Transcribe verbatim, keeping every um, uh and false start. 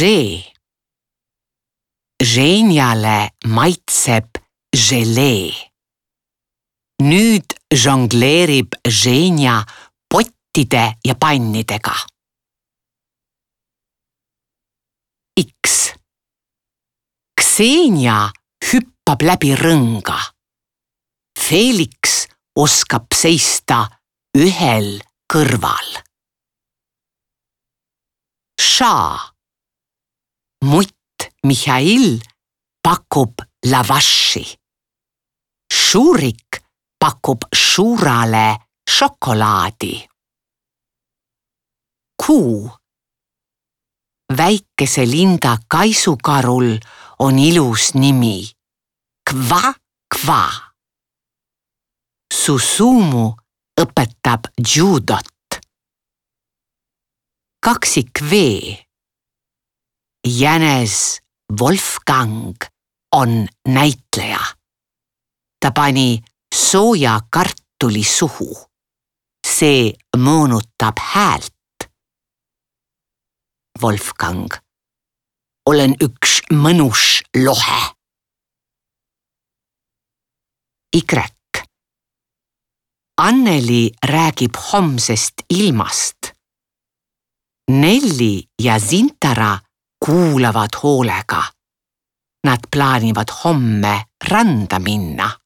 žee. Ženjale maitseb želee. Nüüd žongleerib Ženja pottide ja pannidega. X. Ksenja hüppab läbi rõnga. Felix oskab seista ühel kõrval. Ša. Mutt Mihhail pakub lavaši. Šurik pakub Šurale šokolaadi. Kuu. Väikese Linda kaisukarul on ilus nimi. Kva, kva. Susumu õpetab judot. Kaksik V. Jänes Wolfgang on näitleja. Ta pani sooja kartuli suhu. See moonutab häält. Wolfgang. Olen üks mõnus lohe. Y. Anneli räägib homsest ilmast. Nelli ja Zintara kuulavad hoolega. Nad plaanivad homme randa minna.